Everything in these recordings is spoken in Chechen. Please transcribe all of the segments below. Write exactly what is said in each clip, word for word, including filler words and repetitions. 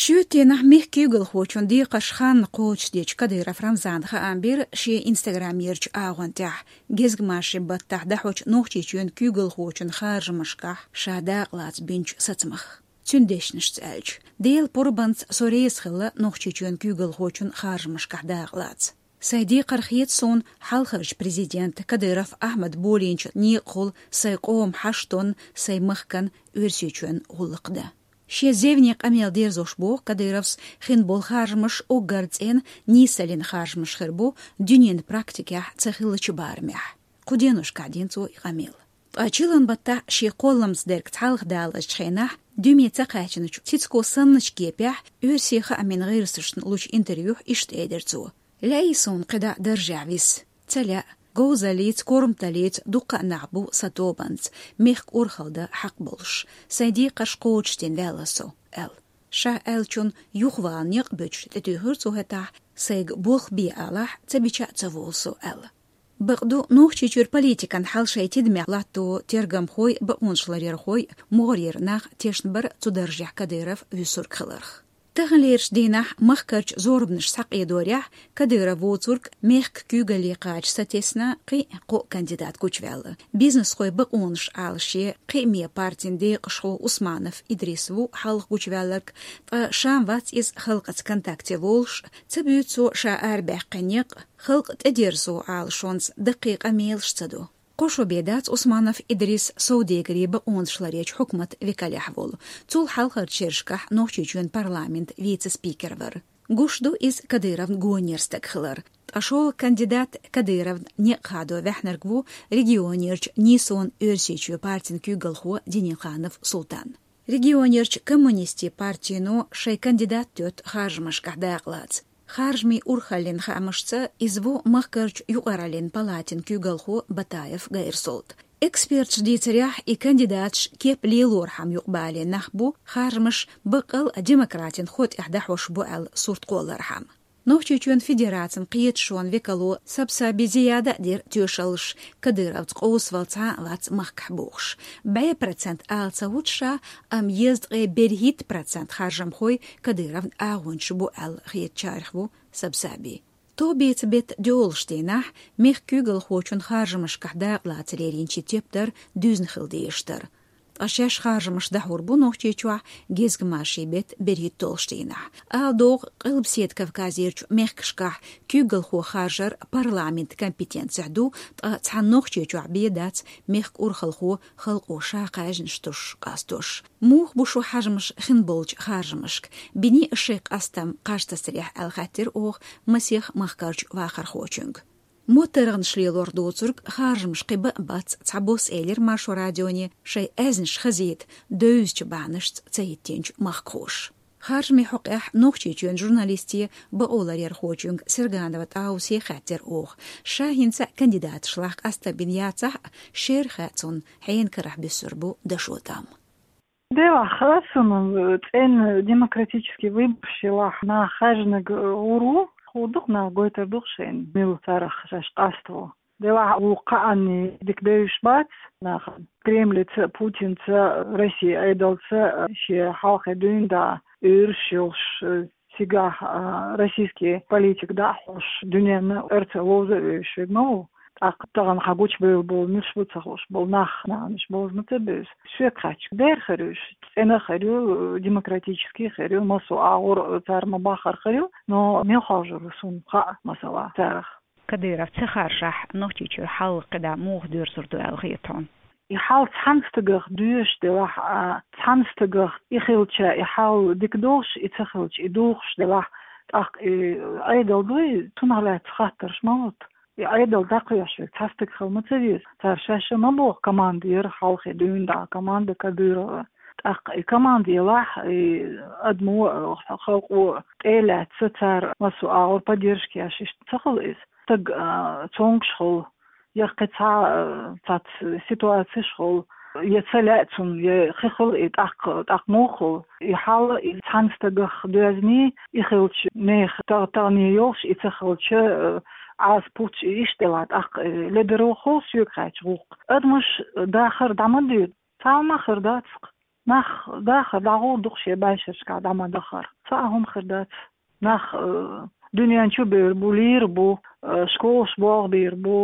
Шоьтенахь мехкан куьйгалхочун декхарш хан кхочушдечу Кадыров Рамзана хаам бира шен инстаграмерчу агӀон тӀехь, гезгмашин баттахь дахьочу Нохчийчоьнан куьйгалхочун харжамашкахь ша дакъалаца бинчу сацамах. Цуьнан дешнашца аьлча, Делан пурбанца со реза хилла Нохчийчоьнан куьйгалхочун харжамашкахь дакъалаца. Сайн декхар хета суна хьалхарчу президент Кадыров Ахьмад болийначу некъахула сайн къоман хьаштонна, сайн махкан Оьрсийчоьнан гӀуллакх дан. Шен зевне къамел дерзош боху Кадыровс, хин болу харжамаш уггар цӀена нийсаллин харжамаш хир бу дуьненан практикехь ца хиллачу барамехь. Кху деношкахь дина цо и къамел. Ткъа чиллан баттахь шен кхолламца дерг цхьалха далазчу хенахь, дуьме ца кхаьчначу Цицко санначу кепехь оьрсийн хаамийн гӀирсашна лучу интервьюхь иштта элира цо: «Лаьий суна кхидӀа даржехь виса? Ца лаьа, говзаллица, корматаллица дуккха а нах бу сан тобанца, мехкан урхалла дан хьакъ болуш. Сайн декхарш кхочушдина ваьлла со», — аьлла. Ша аьллачунна юхавала некъ а буьтуш, тӀетуьйхира цо хӀетахь, сайга болх бе алахь, ца бича а ца волу со аьлла. Бакъду, Нохчийчуьра политикан хьал шайн тидамехь латто тергамхой, бакъонашларъярхой, могӀарера нах тешна бара цу даржехь Кадыров вуьсург хиларх. Таханлерчу дийнахь махкарчу зорбанаш схьакъедорехь, Кадыров воцург мехкан куьйгалле кхача сатесна кхин а кхо кандидат гучуваьлла. Бизнесхойн бакъонаш Ӏалашъе кхиаме партин декъашхо Усманов Идрис ву хьалха гучуваьлларг, ткъа ша-м вац иза халкъаца контакте волуш, ца буьйцу цо ша арабаьккхина некъ, халкъ тӀедерзо Ӏалашонца даккхий къамелаш ца до. Кхо шо бен дац Усманов Идрис совдегарийн бакъонашларъечу хьукматан векалехь волу. Цул хьалхарчу шерашкахь Нохчийчоьнан парламентан вице-спикер вара. Гуш ду иза Кадыровна гонера стаг хилар. Ткъа шолгӀа кандидат Кадыровна некъ хадо ваьхьнарг ву регионерчу «Нийсонан Оьрсийчоь» партин куьйгалхо Денилханов Султан. Регионерчу коммунистийн партино шайн кандидат тоьтту харжамашкахь дакъалаца. Харжамийн урхаллин хаамашца, иза ву махкарчу юкъараллин палатин куьйгалхо Батаев Гайрсолт. Эксперташа дийцарехь, и кандидаташ кеп лелорхьама юкъабалийна нах бу, харжамаш баккъал а демократин хо тӀехь дахьош бу аьлла сурт кхоллархьама. Нохчийчоьнан Федерацин кхеташонан векало Сабсаби Зияда а дира тоьшаллаш, Кадыровца къовсавала цхьа а вац махкахь бохуш. БӀе процент ала ца вуьту ша, амма езткъе берхӀитта процент харжамхой Кадыровн агӀончаш бу аьлла хетачарах ву Сабсаби. Тобеца беттан доьалгӀачу дийнахь мехкан куьйгалхочун харжамашкахь дакъалаца леринчийн тептар дуьзна хила дезаш дара. Ткъа шаьш харжамаш дӀахьур бу Нохчийчохь гезгмашин беттан берхӀитталгӀачу дийнахь. Ала догӀу, Къилбаседа Кавказерчу мехкашкахь куьйгалхо харжар парламентан компетенцехь ду, ткъа цхьана Нохчийчохь бен дац мехкан урхалхо халкъо ша кхаьжнаш тосуш къастош. Муха бу шун хьежамаш хин болчу харжамашка? Биний ас шайн къастам кхаж тасарехь аьлла хаьттира оха масех махкарчу вахархочуьнга. МоттаргӀанаш лелорх доцург харжамаш кхин бан а бац, цхьабосса элира Маршо радионе шайн аьзнаш хазийта девзачу бахьанашца ца хӀиттинчу махкахоша. Харжамийн хьокъехь Нохчийчоьнан журналисте, бакъоларъярхочуьнга Серганова ТӀаусе хаьттира оха. Ша хӀинца а кандидаташлахь къастам бина яцахь а, шера хаьа цунна, хьенан карахь буьссур бу дашо тӀам. Делахь, хаа суна, цӀена демократический выбораш елахь, нах хаьжнарг гӀур ву, хӀун ду-кх, нах гойтур ду-кх шайна, мила царах шаьш къаставо. Делахь, вукху кхаанний дика девзаш бац нахана. Кремльца, Путинца, Россин Ӏедалца шен хьалхе дуьйна дӀа уьйраш йолуш, цигахь, а, российский политика дӀа а хьош, дуьненна эрца вовза а вевзаш верг ма ву. ТӀаккха тахана хьан гучубевлла болу, муьлш бу ца хууш болу нах, нахана уьш бовза ма ца бевза. Соьга хаьттича, дера хир уьш, цӀена хир ю, демократический хир ю, массо а агӀор цара ма-баххара хир ю, но мел хоржур ву суна хаьа, масала, царах. Кадыров ца харжахь, Нохчийчуьра хьал кхидӀа муха доьрзур ду аьлла хета хьуна? И хьал цхьана стагах доьшуш делахь а, цхьана стагах и хилча, и хьал дика долуш, и ца хилча, и духуш делахь, тӀаккха и Ӏедал дуй, цунах лаьцна хаттарш ма лута. И Ӏедал дӀакхоьхьуш верг цхьа стаг хила ма ца веза. Цара шаьш а ма боху, команда яра хьалхе дуьйна дӀа, команда Кадырова. ТӀаккха и команда елахь, и адамо а, халкъо а тӀе а лаьцна, цара массо а агӀор поддержка еш, иштта ца хуьлу иза. Стаг, а, цомгуш хуьлу, я кхин цхьа, а, цхьацца ситуацеш хуьлу, я ца лаьа цунна, я хи хуьлу и тӀаккха, тӀаккха муха хуьлу. И хьал и цхьана стагах доьзний, и хилча нехан тагӀ-, тагӀане йолуш, и ца хилча, а, Ӏаса пуч, и иштта делахь, тӀаккха, э, ледарван хуьлу соьга хаьттича гӀуллакх. Адамаш дахар дӀа ма дуьйцу, цхьа а ма хир дац-кх. Нах дахар дӀагӀур ду-кх шоай бӀаьшерашкахь дӀа ма дахар. Цхьа а хӀума хир дац. Нах, э, дуьнен чу бевр бу, лийр бу, э, школаш болх бийр бу,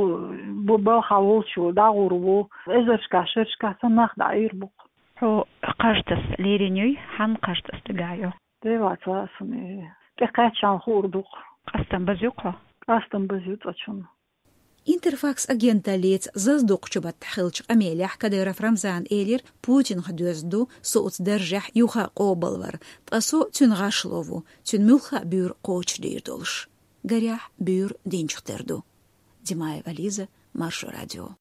бу балха волчо дӀагӀур ву, эзаршкахь, шерашкахь санна нах дӀаийр бу-кх. Хьо кхаж таса лерина юй, хьан кхаж таса дагахь ю? Делаца сан, э, тӀекхаьччан хуур ду-кх. Къастам база ю-кх хьо? Къастам база ю цкъачунна. Интерфакс агенталлица Зазадоккхачу баттахь хиллачу къамелехь Кадыров Рамзана элира, Путинах доьзна ду со оцу даржехь юха къобалвар, ткъа со цуьнан гӀашло ву, цуьнан муьлхха а буьйр кхочушдийр долуш. Гарехь, буьйр динчух тера ду. Димаева Лиза, Маршо радио.